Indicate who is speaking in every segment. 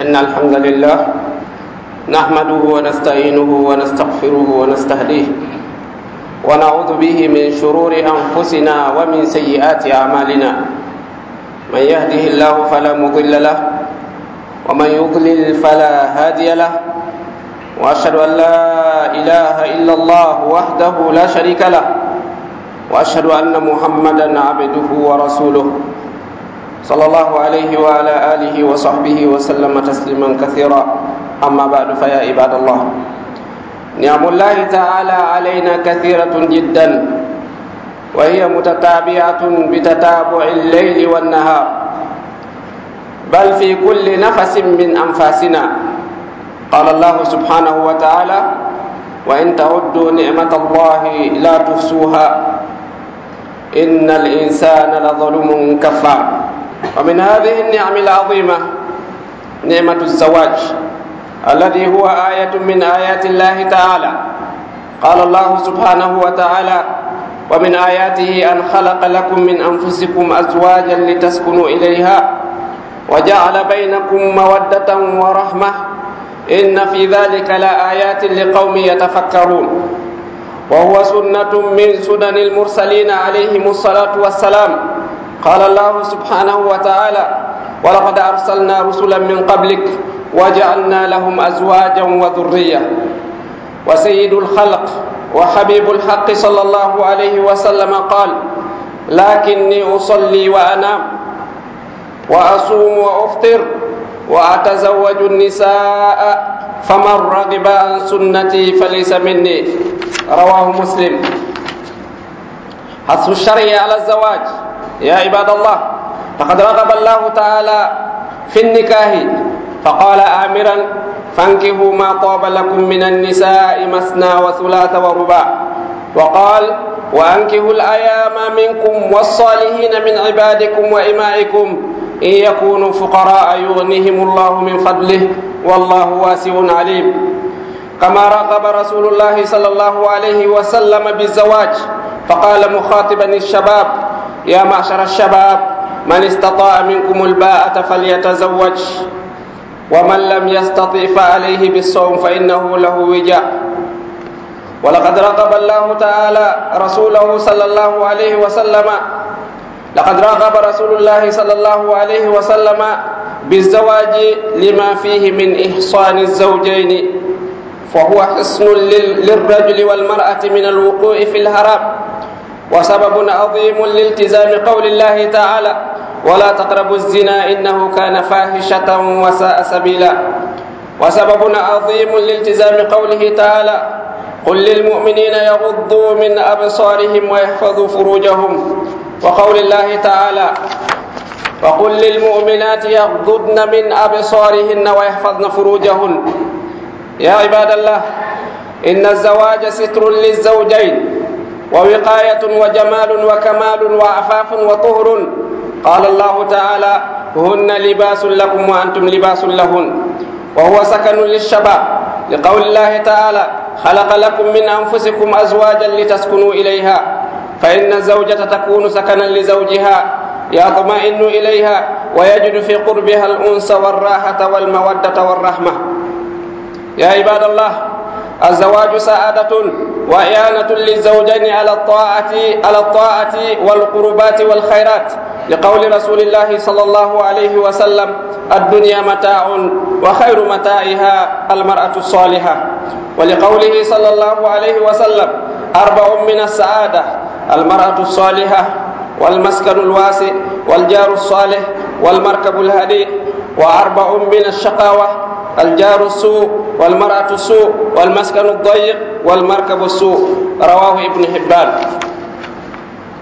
Speaker 1: إن الحمد لله نحمده ونستعينه ونستغفره ونستهديه ونعوذ به من شرور أنفسنا ومن سيئات أعمالنا من يهده الله فلا مضل له ومن يضلل فلا هادي له وأشهد أن لا إله إلا الله وحده لا شريك له وأشهد أن محمدا عبده ورسوله صلى الله عليه وعلى آله وصحبه وسلم تسليما كثيرا. أما بعد، فيا عباد الله، نعم الله تعالى علينا كثيرة جدا، وهي متتابعة بتتابع الليل والنهار، بل في كل نفس من أنفاسنا. قال الله سبحانه وتعالى: وإن تعدوا نعمة الله لا تحصوها إن الإنسان لظلوم كفار. ومن هذه النعم العظيمة نعمة الزواج، الذي هو آية من آيات الله تعالى. قال الله سبحانه وتعالى: ومن آياته أن خلق لكم من أنفسكم أزواجا لتسكنوا إليها وجعل بينكم مودة ورحمة إن في ذلك لآيات لقوم يتفكرون. وهو سنة من سنن المرسلين عليهم الصلاة والسلام. قال الله سبحانه وتعالى: ولقد أرسلنا رسلا من قبلك وجعلنا لهم أزواجا وذرية. وسيد الخلق وحبيب الحق صلى الله عليه وسلم قال: لكني أصلي وأنام وأصوم وأفطر وأتزوج النساء، فمن رغب عن سنتي فليس مني. رواه مسلم. حث الشرع على الزواج. يا عباد الله، لقد رغب الله تعالى في النكاح، فقال آمرا: فانكحوا ما طاب لكم من النساء مثنى وثلاث ورباع. وقال: وأنكحوا الأيام منكم والصالحين من عبادكم وإمائكم إن يكونوا فقراء يغنيهم الله من فضله والله واسع عليم. كما رغب رسول الله صلى الله عليه وسلم بالزواج، فقال مخاطبا الشباب: يا معشر الشباب، من استطاع منكم الباءة فليتزوج، ومن لم يستطع فعليه بالصوم فإنه له وجاء. ولقد رغب الله تعالى رسوله صلى الله عليه وسلم، لقد رغب رسول الله صلى الله عليه وسلم بالزواج لما فيه من إحصان الزوجين، فهو حصن للرجل والمرأة من الوقوع في الحرام، وسبب عظيم لالتزام قول الله تعالى: ولا تقربوا الزنا إنه كان فاحشة وساء سبيلا. وسبب عظيم لالتزام قوله تعالى: قل للمؤمنين يغضوا من أبصارهم ويحفظوا فروجهم. وقول الله تعالى: وقل للمؤمنات يغضضن من أبصارهن ويحفظن فروجهن. يا عباد الله، إن الزواج ستر للزوجين ووقاية وجمال وكمال وعفاف وطهر. قال الله تعالى: هن لباس لكم وأنتم لباس لهن. وهو سكن للشباب، لقول الله تعالى: خلق لكم من أنفسكم أزواجا لتسكنوا إليها، فإن الزوجة تكون سكنا لزوجها يطمئن إليها ويجد في قربها الأنس والراحة والمودة والرحمة. يا عباد الله، الزواج سعادة وإعانة للزوجين على الطاعة والقربات والخيرات، لقول رسول الله صلى الله عليه وسلم: الدنيا متاع وخير متاعها المرأة الصالحة. ولقوله صلى الله عليه وسلم: أربع من السعادة: المرأة الصالحة، والمسكن الواسع، والجار الصالح، والمركب الهديء. وأربع من الشقاوة: الجار السوء، والمرأة السوء، والمسكن الضيق، والمركب السوء. رواه ابن حبان.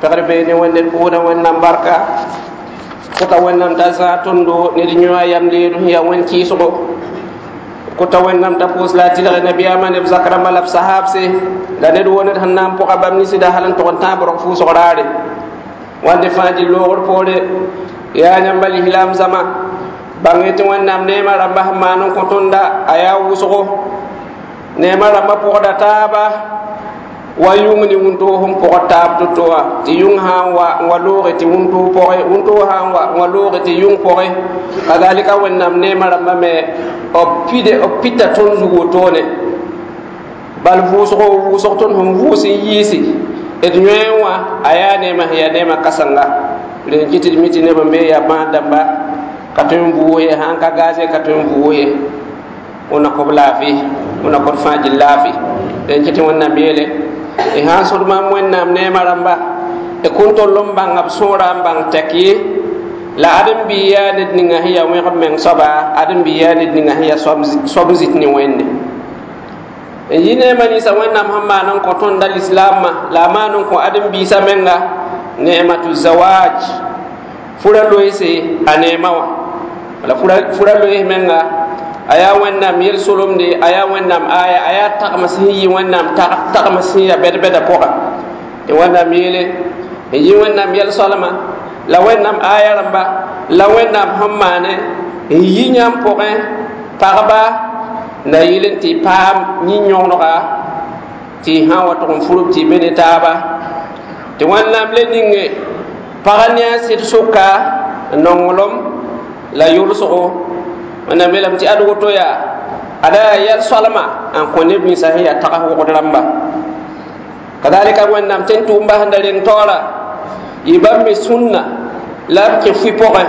Speaker 1: Pegr beene wẽnde pʋʋdã Wẽnnaam barka kʋta Wẽnnaam t'a zãag tõndo ned yõ a yam leed sẽn yaa wẽn kɩɩsgo kʋta Wẽnnaam t'a pʋʋs la a tɩlg nabiyaamã ne b zak rãmbã la b sahaabse la ned wo ned sẽn na n pʋga bãmb ninsda hal n tʋg n tãag brog fʋʋsg raare wãnde fãa dɩ loogr poore. Yaa yãmba lislaam zãma, bãng tɩ Wẽnnaam neemã rãmba sẽn maan n kõ tõnda a yaa wʋsgo neemã rãmbã pʋgda taaba. Wa yũng ne wũntoo sẽn pʋgd taab to-to wã tɩ yũng sã n wa n wa looge tɩ wũntoo pʋgẽ wũntoo sã n wa n wa looge tɩ yũng pʋgẽ kazalika Wẽnnaam neemã rãmbã me b pide b pita tõnd zug wotone bal vʋʋsgo vʋʋsg tõnd sẽn vʋʋs n yiisi d yõe wã a yaa neemã sẽn yaa neemã kãsenga rẽn kɩ tɩ d mi tɩ neb n be yaa bãad dãmba ka tõe n vʋʋs ye sãn ka gaze ka tõe n vʋʋs ye wẽnna kõb laafɩ wẽnna kõd fãa gill laafɩ rẽn kɩ tɩ Wẽnnaam yeele y sãn sõd maam Wẽnnaam neemã rãmba y kõn tol n bãnga b sõora n bãng tɛk ye la ãdem-bi yaa ned ninga sẽn yaa wẽgb meng soaba ãdem-bi yaa ned ninga sẽn yaa soab n zit ne Wẽnde n yi neemã ninsã Wẽnnaam sẽn maan n kõ tõnda lislaamã la a maan n kõ ãdem-biisã menga neematu zawaj fura loeese a neemã wã wala fura loees menga a yaa Wẽnnaam yel-solemde a yaa Wẽnnaam aya a yaa tagms sẽn yi Wẽnnaam tagms sẽn yaa bɛd-bɛda pʋga tɩ Wẽnnaam yeele n yi Wẽnnaam yel-soalma la Wẽnnaam aya rãmba la Wẽnnaam sẽn maane n yi yãmb pʋgẽ pagba la yɩl n tɩ paam yĩn-yõgenega tɩ y sã n wa tʋg n furb tɩ y be ne taaba tɩ Wẽnnaam le ninge pagã ne a sɩd sʋka nonglem la yʋlsgo Wẽnnaam yeelame tɩ ad woto yaa ada yaa yɛl-soalma n kõ neb ninsã sẽn yaa tags wogd rãmba kadalika Wẽnnaam tẽn tʋʋm basẽnda reng taoora yɩ bãmb me sũnna la b kẽ fʋɩ pʋgẽ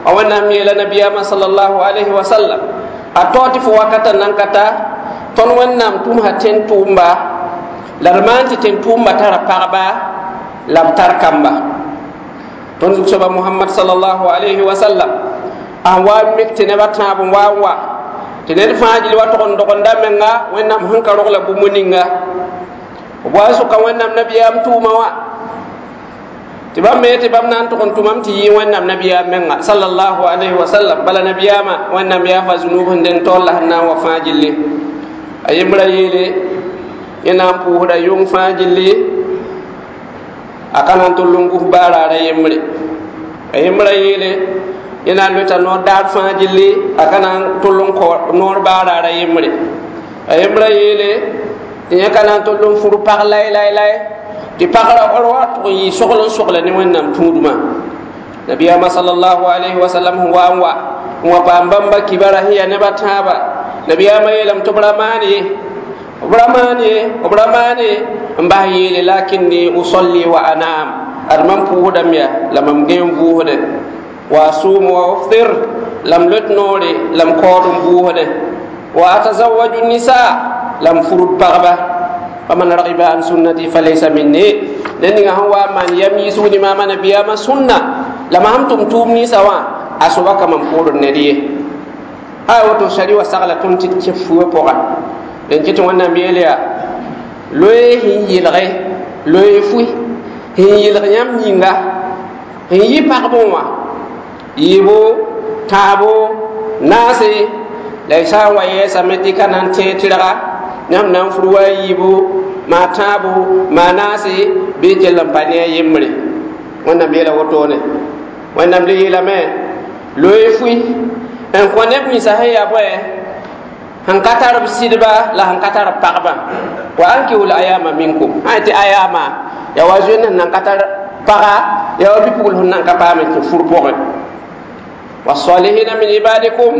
Speaker 1: a Wẽnnaam yeela nabiyaamã sallallahu alayhi wa sallam a tao tɩ fo wakata nan ka ta tõnd Wẽnnaam tʋmsa tẽn tʋʋmba la d maan tɩ tẽn tʋʋmba tara pagba la b tar kamba tõnd zug-soaba Mohamad sallallahu alayhi wa sallam a wa n mik tɩ nebã tãab n wa n wa tɩ ned fãa gil wa tog n dogenda menga Wẽnnaam sẽn ka rogla bũmb ninga b wa n sʋka Wẽnnaam nabiyaam tʋʋma wã tɩ bãmb me tɩ bãmb na n tʋg n tʋmame tɩ yɩ Wẽnnaam nabiyaam menga sallallahu alayhi wa sallam bala nabiyaamã Wẽnnaam yaafa zunub sẽn deng taoor la sẽn na n wa fãa gilli a yembrã yeele yẽ na n pʋʋsda yʋng fãa gilli a ka na n tʋll n gus baaraara yembre a yembrã yeele yẽ na n loeta noor daar fãa gilli a ka na n tʋll n kõ noor baaraara yembre a yembrã yeele tɩ yẽ ka na n tʋll n fur pag lay lay lay tɩ pagra wa tʋg n yɩ sogl n sogla ne Wẽnnaam tũudmã nabiyaamã sallallahu alayhi wa sallam sẽn wa n wa n wa paam bãmba kibara sẽn yaa nebã tãaba nabiyaamã yeelame tɩ b ra maan ye b ra maan ye b ra maan ye n bas yeele lakinni usalli wa anaam ad mam pʋʋsdame ya la mam gẽ n vʋʋsdẽ wa asumu wa uftir la m lot noore la m kaood n vʋʋsdẽ wa atazawaju nisa la m furd pagba faman ragiba an sunnati falaysa minni ned ninga sẽn wa n maan yam yiisg ne maama nabiyaamã sũnna la mam sẽn tʋm tʋʋm ninsã wã a soaba ka mam poord ned ye a woto sari wa sagla tõnd tɩ d kẽ fuã pʋga rẽn kɩ tɩ Wẽnnaam yeel yaa loe sẽn yɩlge loe fʋɩ sẽn yɩlg yãmb yĩnga sẽn yɩ pagb wã yɩɩbo tãabo naase la y sã n wa yɛɛsame tɩ ka na n tẽeg tɩrga yãmb na n fur wa a yiibu maa tãabo maa naase bɩ kell n pa ne a yembre Wẽnnaam yeela wotone Wẽnnaam le yeelame loe fʋɩ n kõ neb ninsã sẽn yaa bõe sẽn ka tar b sɩdba la sẽn ka tar b pagba wa ankihul ayama minkum sã tɩ ayama yaa wa zoend sẽn nan ka tar paga yaa wa bɩ-pugl sẽn nan ka paam n kẽ fur pʋgẽ wasalihina min ibadikum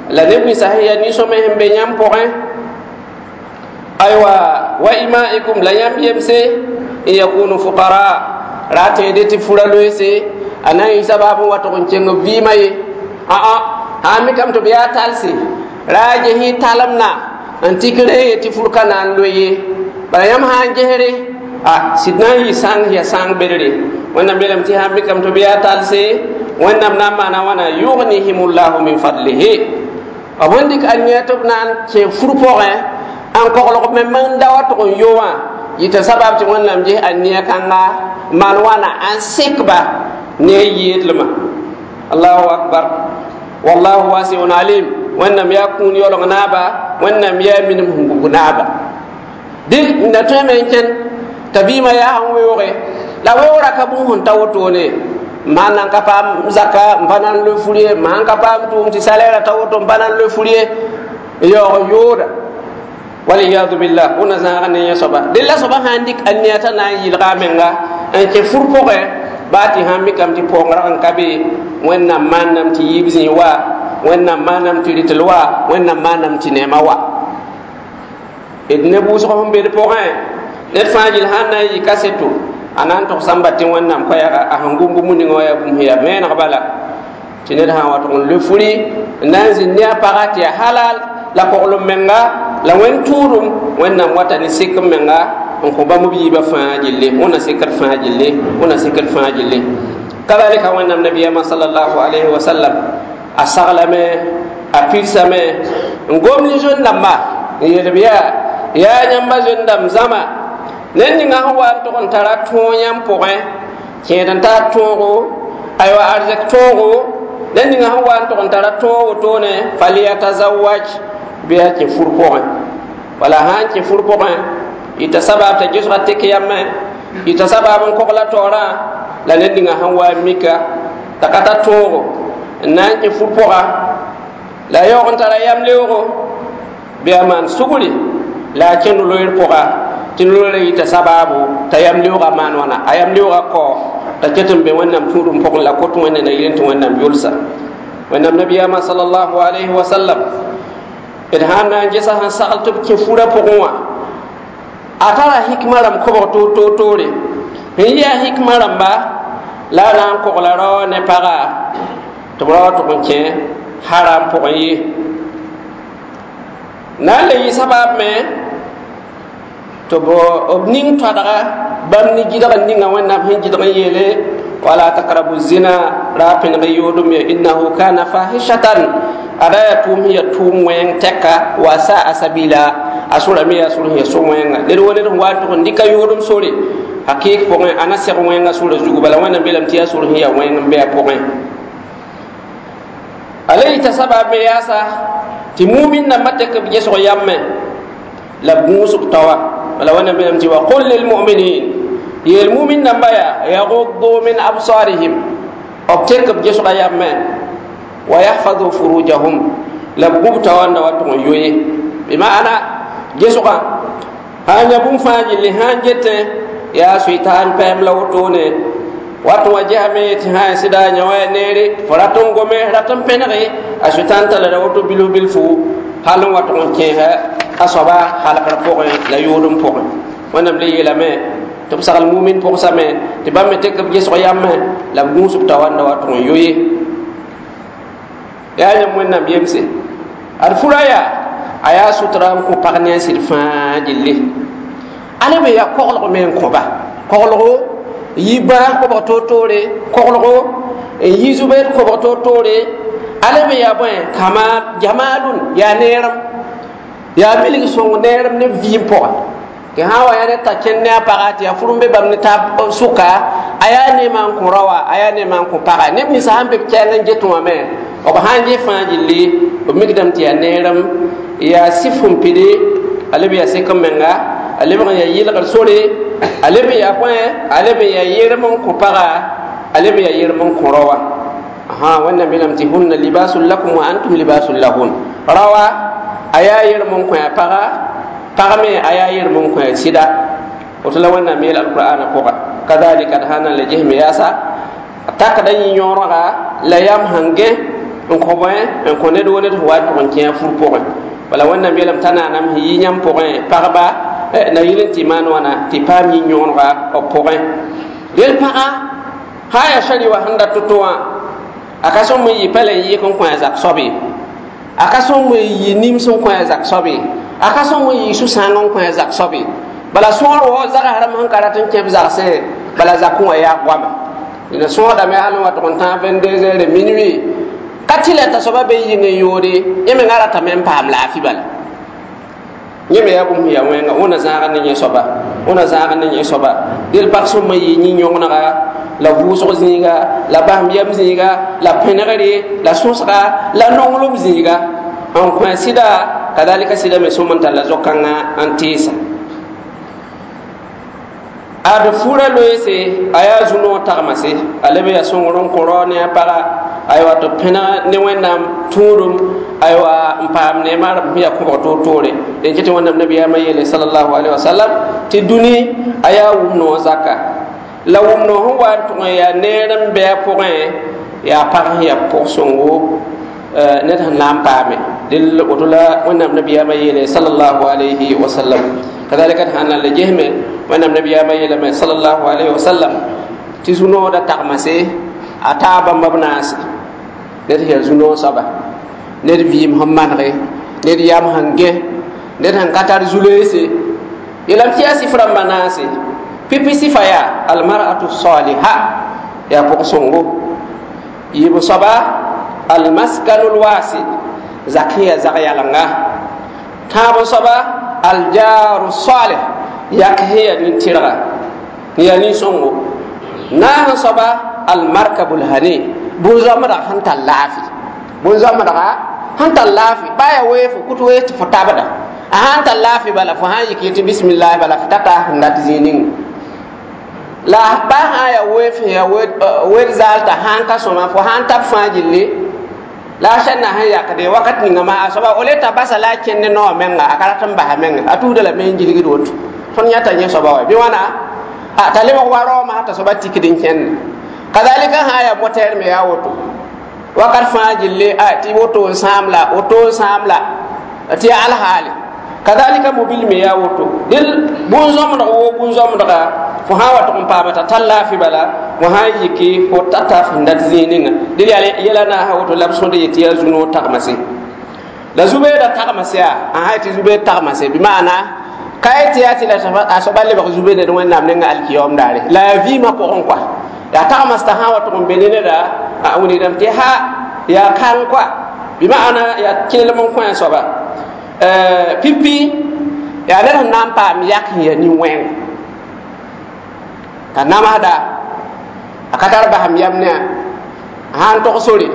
Speaker 1: la neb ninsã sẽn yaa nin-sõme sẽn be yãmb pʋgẽ aywa wa imaikum la yãmb yemse n yakunu fuqara ra tẽede tɩ fura loeese a na n yɩ sabaab n wa tʋg n kẽng b vɩɩmã ye aa sã n mikame tɩ b yaa talse ra a ges talemna n tik re tɩ fur ka na n loe ye bala yãmb sã n gesre a sɩd na n yɩ sãng yaa sãng bedre Wẽnnaam yeelame tɩ sã n mikame tɩ b yaa talse Wẽnnaam na n maana wãna yughnihimullahu min fadlihi b sẽn dɩk ania tɩ b na n kẽ fur pʋgẽ n koglg me n da wa tʋg n yo wã yɩta sabab tɩ Wẽnnaam ges ania kãnga n maan wãna n sekba ne a yeedlmã allahu akbar wallahu wasiun alim Wẽnnaam yaa kũun yaoolg naaba Wẽnnaam yaa minim sẽn gug naaba dɩ na tõeme n kẽn t'a vɩɩmã yaa sẽn weooge la weoogrã ka bũmb sẽn ta wotone m sãn nan ka paam zaka n pa na n loe fur ye m sãn ka paam tʋʋm tɩ salɛɛrã ta woto n pa na n loe fur ye n yaoog n yooda Waliyadu billah, wẽnna zãaga ne yẽ soaba dẽ la soaba sã n dɩk a nia t'a na n yɩlga a menga n kẽ fur pʋgẽ baa tɩ sãn mikame tɩ paoong rag n ka be. Wẽnnaam maaname tɩ yiib zĩig wa, Wẽnnaam maaname tɩ rɩtl wa, Wẽnnaam maaname tɩ neemã wa. D ne bʋʋsg sẽn be d pʋgẽ, ned fãa gill sãn na n yɩ kaseto, a na n togsã n bat tɩ Wẽnnaam koɛɛga a sẽn gom bũmb ninga wã yaa bũmb sẽn yaa vẽeneg bala, tɩ ned sã n wa tʋg n loe furi n na n zĩnd ne a paga tɩ yaa halal la koglem menga la wẽnd tʋʋdem. Wẽnnaam wata ne sik n menga n kõ bãmb b yiibã fãa gilli. Wẽnna sikd fãa gilli, wẽnna sikd fãa gilli. Kadalika Wẽnnaam nabiyama sallallahu alayhi wa sallam a saglame, a pigsame n gom ne zoen-dãmba n yeel b yaa yãmba zoen-dãmb zãma, ned ninga sẽn wa n tʋg n tara tõog yãmb pʋgẽ, kẽed n tar tõogo, aywa arzɛk tõogo, ned ninga sẽn wa n tʋg n tara tõog wotone, falyatazawaj, bɩ a kẽ fur pʋgẽ. Wala sã n kẽ fur pʋgẽ, yɩta sabab t'a gesga tek yamẽ, yɩta sabab n kogla taoorã. La ned ninga sẽn wa n mika t'a ka tar tõogo n na n kẽ fur pʋga la a yaoog n tara yam leoogo, bɩ a maan sugri la a kẽnd loeer pʋga, tɩ loeerã yɩta sabaabo t'a yam leoogã maan wãna, a yam leoogã kao t'a ket n be Wẽnnaam tũudum pʋgẽ la kot Wẽnde na yɩl tɩ Wẽnnaam yʋlsa. Wẽnnaam nabiyaamã sallallahu alayhi wa sallam d sãn na n gesa sẽn sagl tɩ b kẽ furã pʋgẽ wã, a tara hikma rãmb kobg toor-toor-toore. Sẽn yɩ a hikma rãmba la a na n kogla rao ne paga tɩ b rao tʋg n kẽ haram pʋgẽ ye, na n le yɩ sabab me tɩ b ning toadga bãmb ne gɩdg n ninga Wẽnnaam sẽn gɩdg n yeele wala takrabu zina, ra pẽneg yoodem ye, innahu kana fahishatan, ada yaa tʋʋm sẽn yaa tʋʋm wẽng tɛka, wa saa sabila, a sʋrame yaa sʋr sẽn yaa so-wẽnga. Ned wa ned sẽn wa n tʋg n dɩka yoodem sore, hakɩɩk pʋgẽ a na seg wẽnga sʋra zugu. Bala Wẽnnaam beelame tɩ yaa sor sẽn yaa wẽng n be a pʋgẽ. A le yɩta sabab me yaasa tɩ mumin nambã tek b gesg yamẽ la b gũusb taoa. Bala Wẽnnaam beelame tɩ wa qul lilmuminin, yeel mumin nambã yaa yaguddu min absarihim, b tek b gesga yamẽ, wa yahfadu furujahum, la b gũb taoa n da wa tʋg n yoe. Bɩmaana gesgã sãn ya bũmb fãa gilli, sãn getẽ yaa sʋɩtaan pɛɛm la wotone wat wã gesame tɩ sã n sɩda yã wa neere, fo rat n gome, rat n pẽnege, a sʋɩtãn tala ra woto bilf bilfu hal n wa tʋg n kẽesa a soaba halgr pʋgẽ la yoodem pʋgẽ. Wẽnnaam le yeelame tɩ b sagl mumin pʋgsame tɩ bãmb me tek b gesg yamẽ la b gũusb taoa n da wa tʋg n yo ye. Yaa yãmb Wẽnnaam yemse, ad fura yaa a yaa sutra n kõ pag ne a sɩd fãa gilli. Ale me yaa koglg me n kõba, koglgo yi bãag kobg toor-toore, koglgo n yi zubed kobg toor-toore. Ale me yaa bõe kama jamalun, yaa neerem, yaa bilg sõng neerem ne vɩɩm pʋga. Tɩ sã n wa yaa ne t'a kẽnd ne a paga tɩ yaa fur n be bãmb ne taab sʋka, a yaa neemã n kõ raoa, a yaa neemã n kõ paga. Neb ninsã sãn be b kɛɛng n get wã me, b sãn ges fãa gilli, b mikdame tɩ yaa neerem, yaa sɩf sẽn pide, a leb yaa sek n menga, a lebg n yaa yɩlgr sore, a leb n yaa bõe, a leb n yaa yerem n kõ paga, a leb n yaa yerem n kõ raoa. Wẽnnaam yeelame tɩ hunna libasun lakum wa antum libasun lahun. Raoa a yaa yerem n kõ a paga, pag me a yaa yerem n kõ a sɩda. Woto la Wẽnnaam yeel alqur'ana pʋga. Kadalika d sã n na n le gesme yaasa a takda yĩ-yõorga la yam sẽn gẽ n kõ bõe n kõ ned wo ned sẽn wa n tʋg n kẽ a fur pʋgẽ. Bala Wẽnnaam yeelame t'a naanam sẽn yɩ yãmb pʋgẽ pagba na yɩl n tɩ maan wãna tɩ paam yĩ-yõorga b pʋgẽ. Del pagã sã n yaa sari wa sẽn dat to-to wã, a ka sõm n yɩ pɛl n yɩk n kõ a zak soab ye, a ka sõm n yɩ nims n kõ a zak soab ye, a ka sõm n yɩ sũ-sãang n kõ a zak soab ye. Bala sõor wa zagsrame sẽn ka rat n kẽ b zagsẽ, bala zakẽ wã yaa goama. Dẽna sõodame hal n wa tʋg n tãag 22 heures minuit ka tɩ la t'a soaba be yĩng n yoode, yẽ menga ratame n paam laafɩ. Bala yẽ me yaa bũmb sẽn yaa wẽnga. Wẽnna zãag ne yẽ soaba, wẽnna zãag ne yẽ soaba. Del pag sõm n yɩ yĩ-yõgenega la vʋʋsg zĩiga la basem yɛm zĩiga la pẽnegre la sõsga la nonglem zĩiga n kõ sɩda. Kadalika sɩda me sõm n talla zo-kãngã n tɩɩsa ad fura loeese, a yaa zu-noog tagmase, a leb yaa sõngr n kõ rao ne a paga, aywa tɩ pẽneg ne Wẽnnaam tũudum, aywa. n paam neema rãmb sẽn yaa kõbg toor-toore d kɩ tɩ wẽnnaam nabiyaamã yeele sallallahu alaihi wasallam tɩ dũni a yaa wʋm-noog zaka la wʋm-noog sẽn wa n tʋg n yaa neer n bɩ a pʋgẽ yaa pag sẽn yaa pʋg-sõngo ned sẽn na n paame dɩl woto la wẽnnaam nabiyaamã yeele sallallahu alaihi wasallam kadalika d sãn na n le gesme wẽnnaam nabiyaamã yeelame sallallahu alaihi wasallam tɩ zu-noodã tagmase a taa bãmba b naase ned sẽn yaa zu-noog soaba ned vɩɩm sẽn manege ned yam sẽn gẽ ned sẽn ka tar zu-loeese yeelame tɩ yaa sɩf rãmbã naase pipi sɩfa yaa almar'atu saliha yaa pʋg-sõngo yiib soaba almaskanul wasi zak sẽn yaa zag yalenga tãab soaba aljaru salih yak sẽn yaa nin-tɩrga n yaa nin-sõngo naas soaba almarkabul hani bũn-zoamdg sẽn tar laafɩ bũn-zoamdga sẽn tar laafɩ baa yaa wee fo kut wee tɩ fo tabda a sãn tar laafɩ bala fo sãn yik yetɩ bisimillahi bala fo tata sẽn dat zĩig ning la baa sã n yaa weef sẽn yaa wed zaal t'a sãn ka sõma fo sãn tab fãa gilli la a sẽn na sẽn yakde wakat ninga ma a soaba ole t'a basa la a kẽnd ne noogã menga a ka rat n basa menga a tuusda lame n gilgd woto tõnd yãta yẽ soaba wa bɩ wãna a t'a lebg wa raoomã t'a soaba tikd n kẽnde kazalika sã n yaa motɛɛr me yaa woto wakat fãa gilli a tɩ woto n sãam la woto n sãam la tɩ yaa alhaale kazalika mobil me yaa woto dɩl bũn-zõmdg woo bũn-zõmdga fo sã n wa tʋg n paama t'a tar laafɩ bala fo sã n yiki fo tata fẽn dat zĩig ninga dɩl yaa yɛla naasã woto la b sõd yetɩ yaa zu-noog tagmase la zu-beedã tagmase yaa a sã tɩ zu-beed tagmase bɩ maana ka ye tɩ yaa tɩ la a soaba lebg zu-beed ned wẽnnaam ninga alkiyaoom daare la yaa vɩɩmã pʋgẽ kɔa yaa tagmastã sã n wa tʋg n be ne neda a wilgdame tɩ ha yaa kãng kɔa bɩ maana yaa kelem n kõ a soaba pipi yaa ned sẽn na n paam yak sẽn yaa nin-wẽng t'a namsda a ka tar basem yam ne a sãn tog sore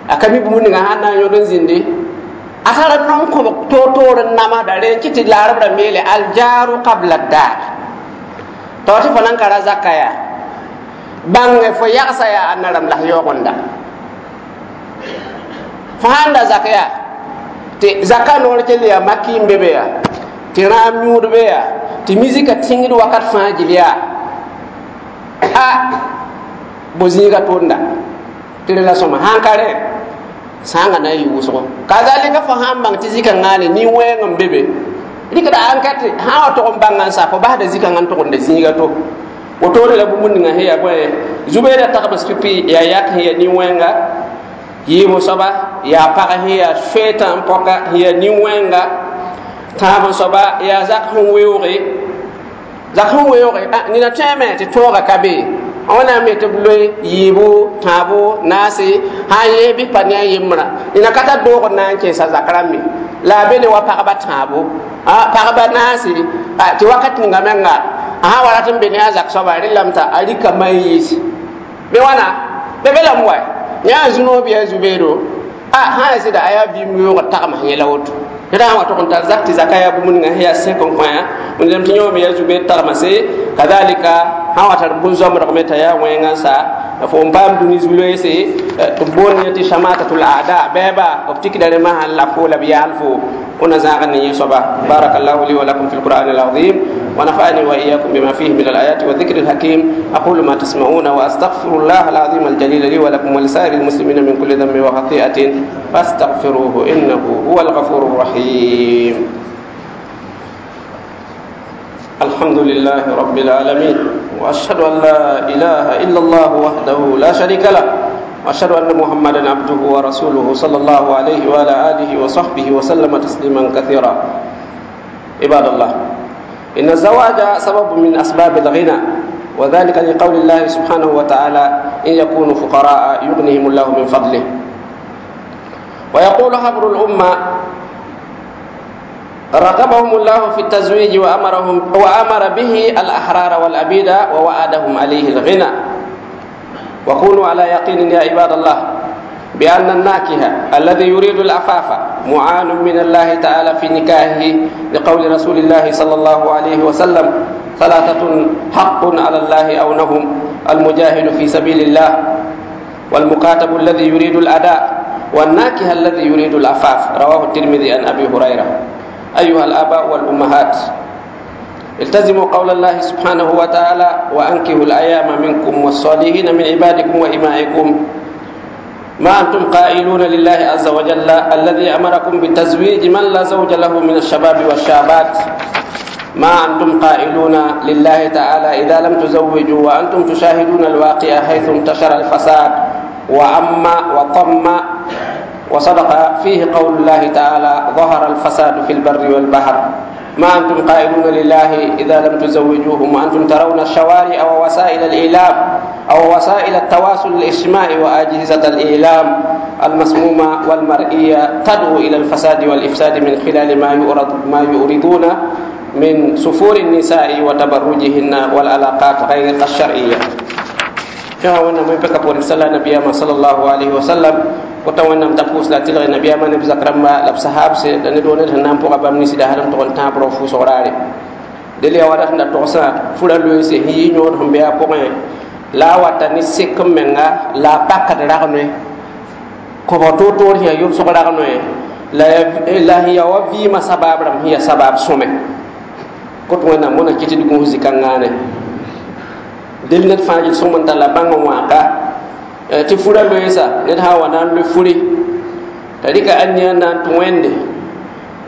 Speaker 1: a ka mi bũmb ninga sãn na n yõd n zĩndi a tara non kõbg toor-toor n namsda rẽ n kɩ tɩ laarb rãmb yeele aljaru qabla dar t'a wa tɩ fo nan ka ra zaka yaa bãnge fo yagsa yaa ãnna rãmb la f yaoogenda fo sãn da zak yaa tɩ zaka noor kell yaa maki n be be yaa tɩ rãam yũud be yaa tɩ misika tĩngd wakat fãa gil yaa a bo zĩiga tʋʋnda tɩ rẽ la sõma sãn ka rẽ sãangã na n yɩ wʋsgo kazalika fo sãn bãng tɩ zika-ngãane nin-wẽng n be be rɩkda ankɛt sã n wa tog n bãnga n sa fo basda zika-ngã n tʋgemda zĩiga to wotone la bũmb ninga sẽn yaa bõe zu-beedã tagms pipi yaa yak sẽn yaa nin-wẽnga yiib soaba yaa pag sẽn yaa feetã n pɔka sẽn yaa nin-wẽnga tãab soaba yaa zak sẽn weooge zak sẽn weooge nina tõeme tɩ tõoga ka be wẽnnaam me tɩ b loe yiibu tãabo naase sã n yee bɩ pa ne a yembrã nina ka tar doog n na n kẽesa zak rãmbe la a be ne wa pagba tãabo pagba naase tɩ wakat ninga menga a sã wa rat n be ne a zak soaba rẽlame t'a a rɩka man yiis bɩ wãna be be lame wa yã zu-noog bɩ a zu-beedo a sã n sɩda a yaa vɩɩm weoogr tagms yẽla woto ned sã n wa tʋg n tar zak tɩ zaka yaa bũmb ninga sẽn yaa sẽk n kõ wẽnnaam tɩ yõome yaa zu-beed tagmase kazalika sã n wa tar bũn-zoamdg me t'a yaa wẽngã n sa fo n paam dũni zu-loeese tɩ b boond yẽ tɩ samatatul ada bɛɛba b tikda rẽ masã la fo la b yaal fo ona zãag ne yẽ soaba barakallahu li wa lakum fi lqur'an alazim ونفعني وإياكم بما فيه من الآيات والذكر الحكيم أقول ما تسمعون وأستغفر الله العظيم الجليل لي ولكم ولسائر المسلمين من كل ذنب وخطيئة فاستغفروه إنه هو الغفور الرحيم الحمد لله رب العالمين وأشهد أن لا إله إلا الله وحده لا شريك له وأشهد أن محمدا عبده ورسوله صلى الله عليه وعلى آله وصحبه وسلم تسليما كثيرا عباد الله إن الزواج سبب من أسباب الغنى وذلك لقول الله سبحانه وتعالى إن يكونوا فقراء يغنيهم الله من فضله ويقول حبر الأمة رغبهم الله في التزويج وأمرهم وأمر به الأحرار والأبيد ووعدهم عليه الغنى وكونوا على يقين يا عباد الله بأن الناكهة الذي يريد العفاف معان من الله تعالى في نكاحه لقول رسول الله صلى الله عليه وسلم ثلاثة حق على الله أونهم المجاهد في سبيل الله والمكاتب الذي يريد الأداء والناكح الذي يريد العفاف. رواه الترمذي عن أبي هريرة. أيها الآباء والأمهات، التزموا قول الله سبحانه وتعالى: وأنكحوا الأيام منكم والصالحين من عبادكم وإمائكم. ما أنتم قائلون لله عز وجل الذي أمركم بتزويج من لا زوج له من الشباب والشابات؟ ما أنتم قائلون لله تعالى إذا لم تزوجوا وأنتم تشاهدون الواقع حيث انتشر الفساد وعم وطم؟ وصدق فيه قول الله تعالى: ظهر الفساد في البر والبحر. ما أنتم قائلون لله إذا لم تزوجوهم وأنتم ترون الشوارع ووسائل الإعلام أو وسائل التواصل الاجتماعي وأجهزة الإعلام المسمومة والمرئية تدعو إلى الفساد والإفساد من خلال ما يؤردون من سفور النساء وتبرجهن والعلاقات غير الشرعية. فيها وانا من بكا بوري صلى النبي صلى الله عليه وسلم kota wẽnnaam t'a pʋʋs la tɩlg nabiyaamã ne b zak rãmba la b sahab se la ned wo ned sẽn na n pʋga bãmb ninsi da sal n tʋg n tãab rao fʋʋsg raare. Del yaa wadat sẽn da togsã fura loeese sẽn yɩ yõod sẽn be a pʋgẽ la a wata ne sek n menga la a pakd rag-noe kõbg toor-toor sẽn yaa yʋbsg rag-noe la sẽn yaa wa vɩɩmã sabaab rãmb sẽn yaa sabaab sõme kot wẽnnaam wõna kɩ tɩ d gũus zĩ-kãngaane. Del ned fãa gil sõm n tall a bãng n wãaka tɩ fura loeesa ned sã n wa na n loe furi t'a rɩka ãnnia n na n tũ wẽnde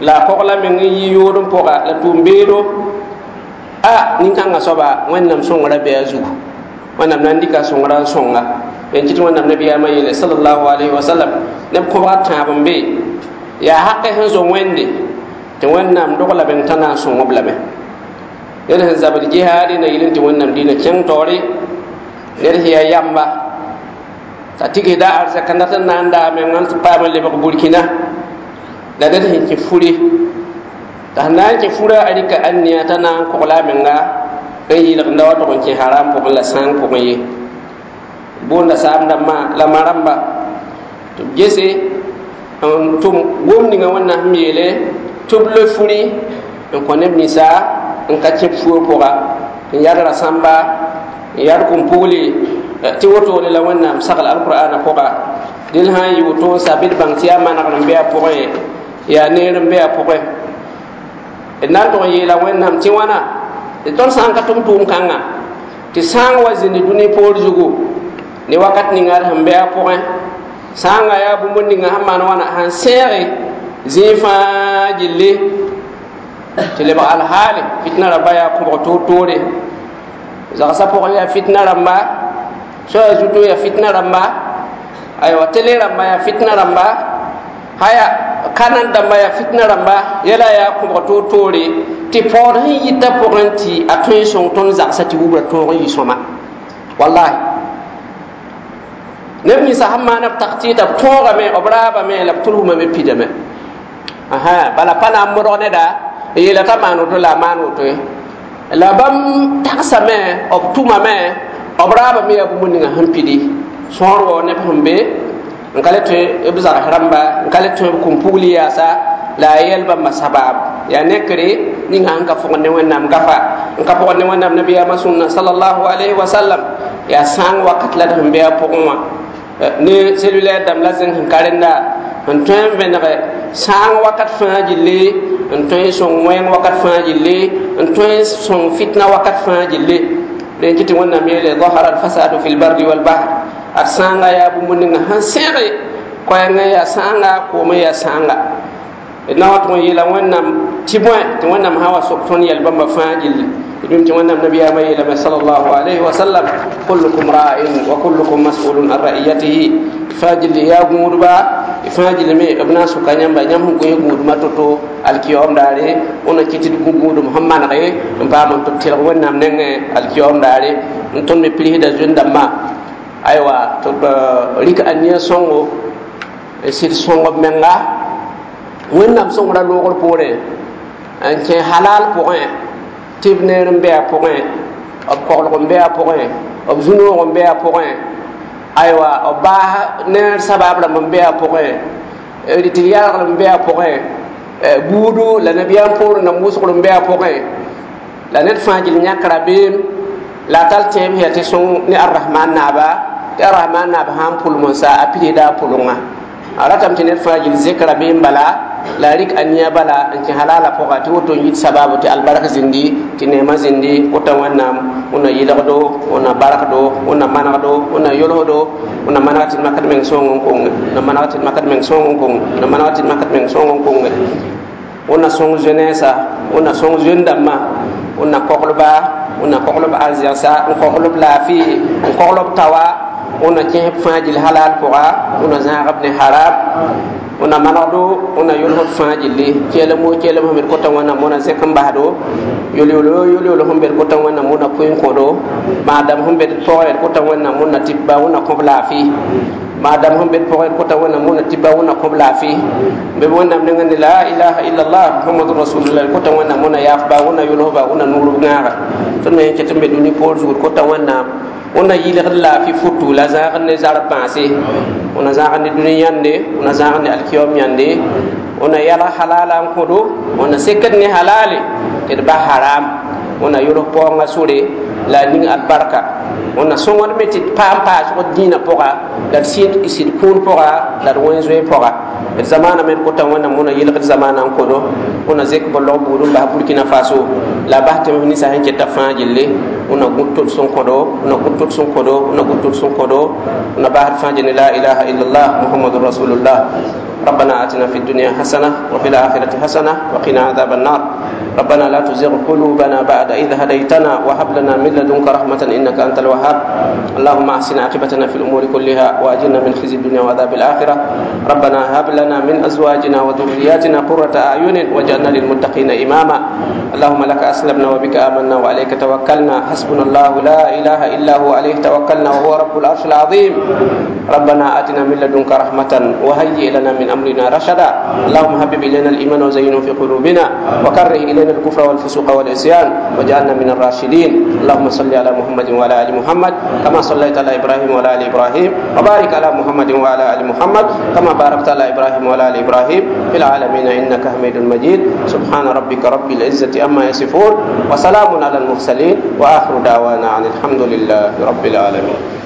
Speaker 1: la a kogla meng n yi yood n pʋga la tʋʋm-beedo a nin-kãngã soaba wẽnnaam sõngrã bee a zugu wẽnnaam na n dɩka sõngrã n sõnga n kɩt wẽnnaam nabiyaamã yeele sallallahu alayhi wa sallam neb kõbga tãab n be yaa hakɛ sẽn zo wẽnde tɩ wẽnnaam dog lame t'a na n sõng-b lame ned sẽn zabd jihaade na yɩl n tɩ wẽnnaam dĩinã kẽng taoore ned sẽn yaa yamba t'a tigsda arzɛka dat n na n daa meng n paam n lebg Burkina la ned sẽn kẽ furi t'a sẽn na n kẽ fura a rɩka ãnnia t'a na n kogla a menga n yɩlgda wa tʋg n kẽ haram pʋgẽ la sãang pʋgẽ ye boonda saam dãmbã la ma rãmba tɩ b gese n tʋm gom ninga wẽnnaam sẽn yeele tɩ b loe furi n kõ neb ninsa n ka kẽ fuo pʋga n yad rasãmba n yad kũm-pugli tɩ wotone la wẽnnaam sagl alqur'ana pʋga dẽl sã n yɩ woto n sa bɩ d bãng tɩ yaa manegr n be a pʋgẽ yaa neer n be a pʋgẽ d na n tʋg n yeela wẽnnaam tɩ wãna tɩ tõnd sã n ka tʋm tʋʋm-kãngã tɩ sãang wa zĩnd dũni poor zugu ne wakat ninga d sẽn be a pʋgẽ sãanga yaa bũmb ninga sẽn maan wãna sãn sẽege zĩig fãa gilli tɩ lebg alhaale fitna rãmba yaa kõbg toor-toore zagsã pʋgẽ yaa fitna rãmba soaya zuto yaa fitna rãmba aywa tele rãmba yaa fitna rãmba haya kanan dãmba yaa fitna rãmba yɛla yaa kõbg toor-toore tɩ paood sẽn yita pʋgẽ tɩ a tõe n sõng tõnd zagsã tɩ wubra tõog n yɩ sõma wallahi neb ninsã sẽn maan b taktɩɩta b tõogame b raabame la b tʋlsmame pidame bala pa na n modg neda n yeela t'a maan woto la a maan woto ye la bãmb tagsame b tʋmame b raabame yaa bũmb ninga sẽn pidi sõor wao neb sẽn be n ka le tõe b zags rãmba n ka le tõe b kũm-pugli yaasa la a yɛl bãmba sabaab yaa nekre ninga sẽn ka fʋgd ne wẽnnaam gafa n ka pʋgd ne wẽnnaam nabiyaamã sũnna sallallahu alayhi wa sallam yaa sãang wakat la d sẽn be a pʋgẽ wã ne cellulaire dãmb la zẽng sẽn ka rẽnda n tõe n vẽnege sãang wakat fãa gilli n tõe n sõng wẽng wakat fãa gilli n tõe n sõng fitna wakat fãa gilli rẽn kɩ tɩ wẽnnaam yeele ظahara alfasadu fi lbarri walbahr ad sãanga yaa bũmb ninga sẽn sẽge koɛɛngã yaa sãanga koomã yaa sãanga d na wa tʋg n yeela wẽnnaam tɩ bõe tɩ wẽnnaam sã wa sok tõnd yɛl bãmba fãa gilli dũm tɩ wẽnnaam nabiyaamã yeelame sallallahu alayhi wa sallam kullukum ra'in wa kullukum mas'ulun an ra'iyatihi fãa gilli yaa gũudba fãa gilli me b na n soka yãmba yãmb sẽn gõe gũudmã to-to alkiyaoom daare wẽna kɩ tɩ d gũ gũudum sẽn manege n paam n tɩ b tɩlg wẽnnaam nengẽ alkiyaoom daare n tõnd me pirsda zoen-dãmbã aywa tɩ b rɩk ania sõngo n sɩd sõng b menga wẽnnaam sõngrã loogr poorẽ n kẽ halal pʋgẽ tɩ b neer n be a pʋgẽ b koglg n be a pʋgẽ b zu-noog n be a pʋgẽ aywa b baas neer sabaab rãmb n be a pʋgẽ tɩ yalgr n be a pʋgẽ buudu la nabiyaam poorẽ nam wʋsgr n be a pʋgẽ la ned fãa gil yãk rabeem la a tall tẽeb yaa tɩ sõng ne arrahman naaba tɩ arrahman naab sã n pʋlem n sa a pidsda a pʋlengã A ratame tɩ ned fãa gill zek rabeem bala la a rɩk a nia bala n kẽ halala pʋga tɩ woto n yit sababu tɩ albark zĩndi tɩ neemã zĩndi kota Wẽnnaam wẽnna yɩlgdo, wẽnna barkdo, wẽnna manegdo, wẽnna yolsdo, wẽnna maneg tɩ d makd meng sõng n konge, wẽnna maneg tɩ d makd meng sõng n konge, wẽnna maneg tɩ d makd meng sõng n konge, wẽnna sõng jeunesse, wẽnna sõng jeune dãmbã, wẽnna koglba, wẽnna koglb arzɛgsa, n koglb laafɩ, n koglb tawa, wẽnna kẽsb fãa gill halal pʋga, wẽnna zãagb ne haram, wẽnna manegdo, wẽnna yolsd fãa gilli kelem wo kelem sẽn be d kota Wẽnnaam wẽna zẽk n basdo yol-yolo yol-yolo sẽn be d kota Wẽnnaam wẽnna pʋɩ n kõdo maadam sẽn be d pʋgẽ d kota Wẽnnaam wẽnna tɩpba wẽnna kõb laafɩ maadam sẽn be d pʋgẽ d kota Wẽnnaam wẽnna tɩpba wẽnna kõb laafɩ be Wẽnnaam nengẽ ne la ilaha illallah Muhammadur rasulullah d kota Wẽnnaam wẽnna yaafba wẽnna yolsba wẽnna nuurb gãaga tõnd me ket n be dũni poor zugd kota Wẽnnaam wẽnna yɩlgd laafɩ futu la zãagd ne zarb bãase, wẽnna zãagd ne dũni yãnde, wẽnna zãagd ne alkiyom yãnde, wẽnna yalg halala n kõdo, wẽnna sekd ne halale tɩ d bas haram, wẽnna yols paoongã sore la a ning albarka, wẽnna sõngd me tɩ d paam paasg d dĩinã pʋga la d sɩd kũun pʋga la d wẽn zoe pʋga d zamaana me d kota Wẽnnaam wẽnna yɩlgd zamaanã n kodo, wẽnna zek bõlg buud n bas Burkina Faso la bas tẽms ninsã sẽn keta fãa gilli, wẽnna gũd tʋds n kõdo, wẽnna gũd tʋds n kõdo, wẽnna gũd tʋds n kõdo, wẽnna basd fãa gilli la ilaha illallah Muhammadur rasulullah. ربنا آتنا في الدنيا حسنة وفي الآخرة حسنة وقنا عذاب النار. ربنا لا تزغ قلوبنا بعد إذ هديتنا وهب لنا من لدنك رحمة إنك أنت الوهاب. اللهم أحسن عاقبتنا في الأمور كلها وأجرنا من خزي الدنيا وعذاب الآخرة. ربنا هب لنا من أزواجنا وذرياتنا قرة أعين واجعلنا للمتقين إماما. اللهم لك أسلمنا وبك آمنا وعليك توكلنا، حسبنا الله لا إله إلا هو عليه توكلنا وهو رب العرش العظيم. ربنا آتنا من لدنك رحمة وهيئ لنا من أمرنا رشدا. اللهم حبب إلينا الإيمان وزينه في قلوبنا وكره إلينا الكفر والفسوق والعصيان واجعلنا من الراشدين. اللهم صل على محمد وعلى آل محمد كما صليت على إبراهيم وعلى آل إبراهيم، وبارك على محمد وعلى آل محمد كما باركت على إبراهيم وعلى آل إبراهيم في العالمين إنك حميد مجيد. سبحان ربك رب العزة عما يصفون وسلام على المرسلين وآخر دعوانا عن الحمد لله رب العالمين.